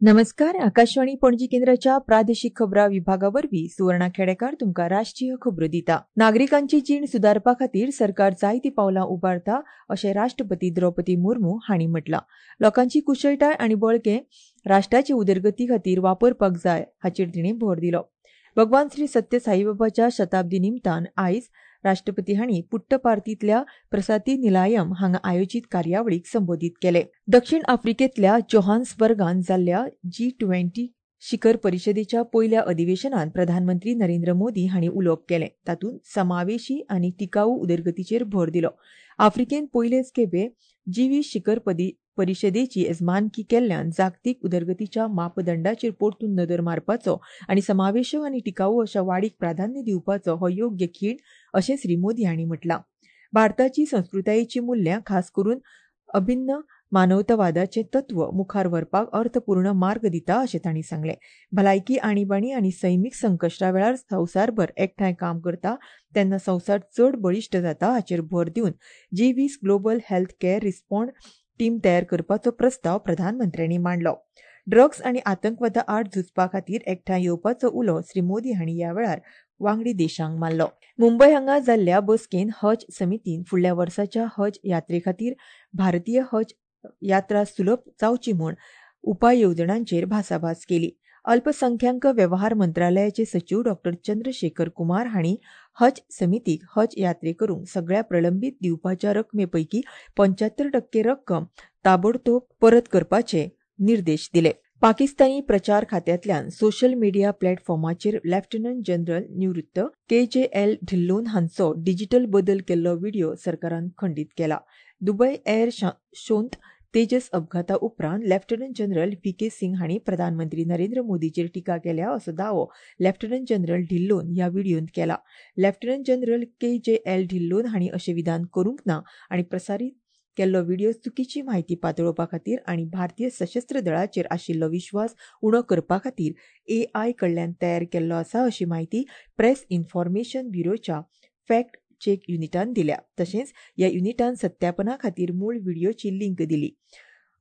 नमस्कार, आकाशवाणी पणजी केंद्राच्या प्रादेशीक खबरां विभागा वरवीं सुवर्णा खेडेकार तुमकां राष्ट्रीय खबरो दिता. नागरिकांची जीण सुदारपा खातीर सरकार जायतीं पावलां उबारता अशें राष्ट्रपती द्रौपदी मुर्मू हांणी म्हटलां. लोकांची कुशळटाय आनी बळगें राष्ट्राचे उदरगती खातीर वापरपाक जाय हाचेर तिणें भर दिलो. भगवान श्री सत्य साईबाबाच्या शताब्दी निमतान आयज राष्ट्रपती हांणी पुट्टपार्तींतल्या प्रसाती निलायम हांगा आयोजीत कार्यावळीक संबोधीत केले. दक्षिण आफ्रिकेंतल्या जोहान्सबर्गान जाल्ल्या G20 शिखर परिशदेच्या पयल्या अधिवेशनात प्रधानमंत्री नरेंद्र मोदी हांणी उलोवप केलें. तातूंत समावेशी आनी टिकाऊ उदरगतीचेर भर दिलो. आफ्रिकेन पयलेच खेपे G20 शिखर परिशदेची येजमानकी केल्ल्यान जागतीक उदरगतीच्या मापदंडाचेर परतून नदर मारपाचो आनी समावेशक आनी टिकाऊ अशा वाडीक प्राधान्य दिवपाचो हो योग्य खीण अशें श्री मोदी हांणी म्हटलां. भारताची संस्कृतायेची मुल्यां खास करून अभिन्न मानवतावादाचें तत्व मुखार व्हरपाक अर्थपूर्ण मार्ग दिता अशें तांणी सांगलें. भलायकी आणीबाणी आनी सैमीक संकश्टा वेळार संवसारभर एकठांय काम करता तेन्ना संवसार चड बळिश्ट जाता हाचेर भर दिवन G20 global health care response team तयार करपाचो प्रस्ताव प्रधानमंत्र्यांनी मांडलो. ड्रग्स आनी आतंकवादा आड झुजपा खातीर एकठांय येवपाचो उलो श्री मोदी हांणी ह्या वेळार वांगडी देशांक मारलो. मुंबय हांगा जाल्ल्या बसकेन हज समितीन फुडल्या वर्साच्या हज यात्रे खातीर भारतीय हज यात्रा सुलभ जावची म्हूण उपाय येवजणांचेर भासाभास केली. अल्पसंख्याक वेव्हार मंत्रालयाचे सचीव डॉ चंद्रशेखर कुमार हांणी हज समितीक हज यात्रे करूंक सगळ्या प्रलंबीत दिवपाच्या रकमे पैकी 75% रक्कम ताबडतोब परत करपाचे निर्देश दिले. पाकिस्तानी प्रचार खात्यांतल्यान सोशल मिडिया प्लॅटफॉर्माचेर लेफ्टनंट जनरल निवृत्त KJL Dhillon हांचो डिजिटल बदल केल्लो व्हिडिओ सरकारान खंडीत केला. दुबय एअर शोंत तेजस अपघाता उपरांत लेफ्टनंट जनरल VK Singh हांणी प्रधानमंत्री नरेंद्र मोदीचेर टिका केल्या असो दावो लेफ्टनंट जनरल ढिल्लोन ह्या व्हिडियोंत केला. लेफ्टनंट जनरल KJL Dhillon हांणी अशें विधान करूंक ना आनी प्रसारीत केल्लो व्हिडिओ चुकीची म्हायती पातळोवपा खातीर आनी भारतीय सशस्त्र दळाचेर आशिल्लो विश्वास उणो करपा खातीर AI कडल्यान तयार केल्लो आसा अशी म्हायती प्रेस इन्फॉर्मेशन ब्युरोच्या फॅक्ट चेक युनिटान दिल्या. तशेंच ह्या युनिटान सत्यापना खातीर मूळ व्हिडिओची लिंक दिली.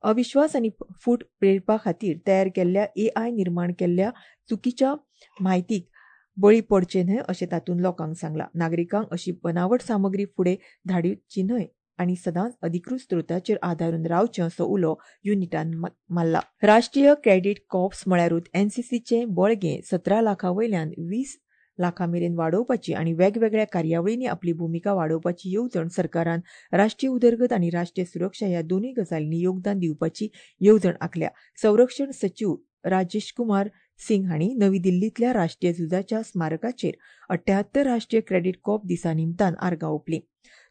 अविश्वास आनी फूट प्रेरपा खातीर तयार केल्ल्या AI निर्माण केल्ल्या चुकीच्या म्हायतीक बळी पडचे न्हय अशें तातूंत लोकांक सांगलां. नागरिकांक अशी बनावट सामग्री फुडें धाडची न्हय आनी सदांच अधिकृत स्त्रोताचेर आदारून रावचें असो उलो युनिटान मारला. राष्ट्रीय क्रेडीट कॉर्प्स म्हळ्यारूच NCCचें बळगें 17 लाखां वयल्यान 20 लाखां मेरेन वाडोवपाची आनी वेगवेगळ्या कार्यावळींनी आपली भुमिका वाडोवपाची येवजण सरकारान राष्ट्रीय उदरगत आनी राष्ट्रीय सुरक्षा ह्या दोनूय गजालींनी योगदान दिवपाची येवजण आंखल्या. संरक्षण सचीव राजेश कुमार सिंग हांणी नवी दिल्लींतल्या राष्ट्रीय झुजाच्या स्मारकाचेर 78 राष्ट्रीय क्रेडीट कॉर्प दिसा निमतान आर्गां ओंपलीं.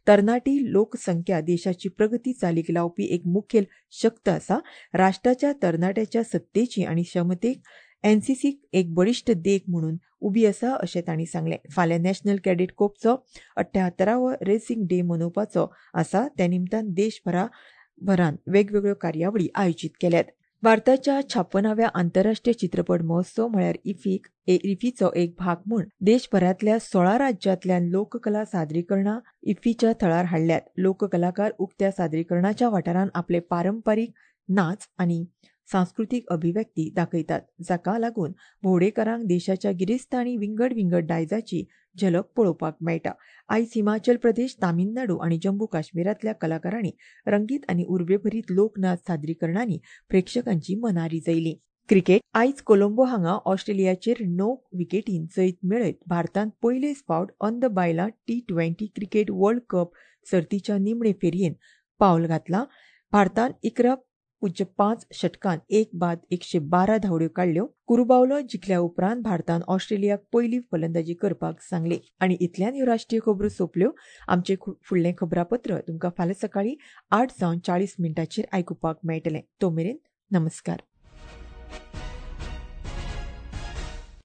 तरणाटी लोकसंख्या देशाची प्रगती चालीक लावपी एक मुखेल शक्त आसा. राष्ट्राच्या तरणाट्याच्या सत्तेची आनी क्षमतेक NCC एक बळिश्ट देख म्हणून उबी आसा अशें तांणी सांगलें. फाल्यां नॅशनल कॅडेट कोर्पचो 78वो रेसिंग डे मनोवपाचो आसा. त्या निमतान देशभरान वेगवेगळ्यो कार्यावळी आयोजीत केल्यात. भारताच्या 56व्या आंतरराष्ट्रीय चित्रपट महोत्सव म्हळ्यार इफ्फीचो एक भाग म्हूण देशभरांतल्या 16 राज्यांतल्यान लोककला सादरीकरणां इफ्फीच्या थळार हाडल्यात. लोककलाकार उक्त्या सादरीकरणाच्या वाठारांत आपले पारंपारीक नाच आनी सांस्कृतीक अभिव्यक्ती दाखयतात, जाका लागून भोंवडेकारांक देशाच्या गिरेस्त आनी विंगड विंगड दायजाची झलक पळोवपाक मेळटा. आयज हिमाचल प्रदेश, तामिळनाडू आनी जम्मू काश्मीरांतल्या कलाकारांनी रंगीत आनी उर्बेभरीत लोकनाच सादरीकरणांनी प्रेक्षकांची मनां रिजयलीं. क्रिकेट. आयज कोलंबो हांगा ऑस्ट्रेलियाचेर 9 विकेटीन जैत मेळयत भारतान पयलेच फावट अंद बायलां T20 cricket world cup सर्तीच्या निमणे फेरयेन पावल घातलां. भारतान 11.5 षटकान 1 बाद 112 धांवड्यो काडल्यो. कुरुबावलो जिखल्या उपरांत भारतान ऑस्ट्रेलियाक पयली फलंदाजी करपाक सांगली. आनी इतल्यान ह्यो राष्ट्रीय खबरो सोंपल्यो. आमचें फुडलें खबरापत्र तुमकां फाल्यां सकाळीं 8:40 आयकुपाक मेळटलें. तो मेरेन नमस्कार.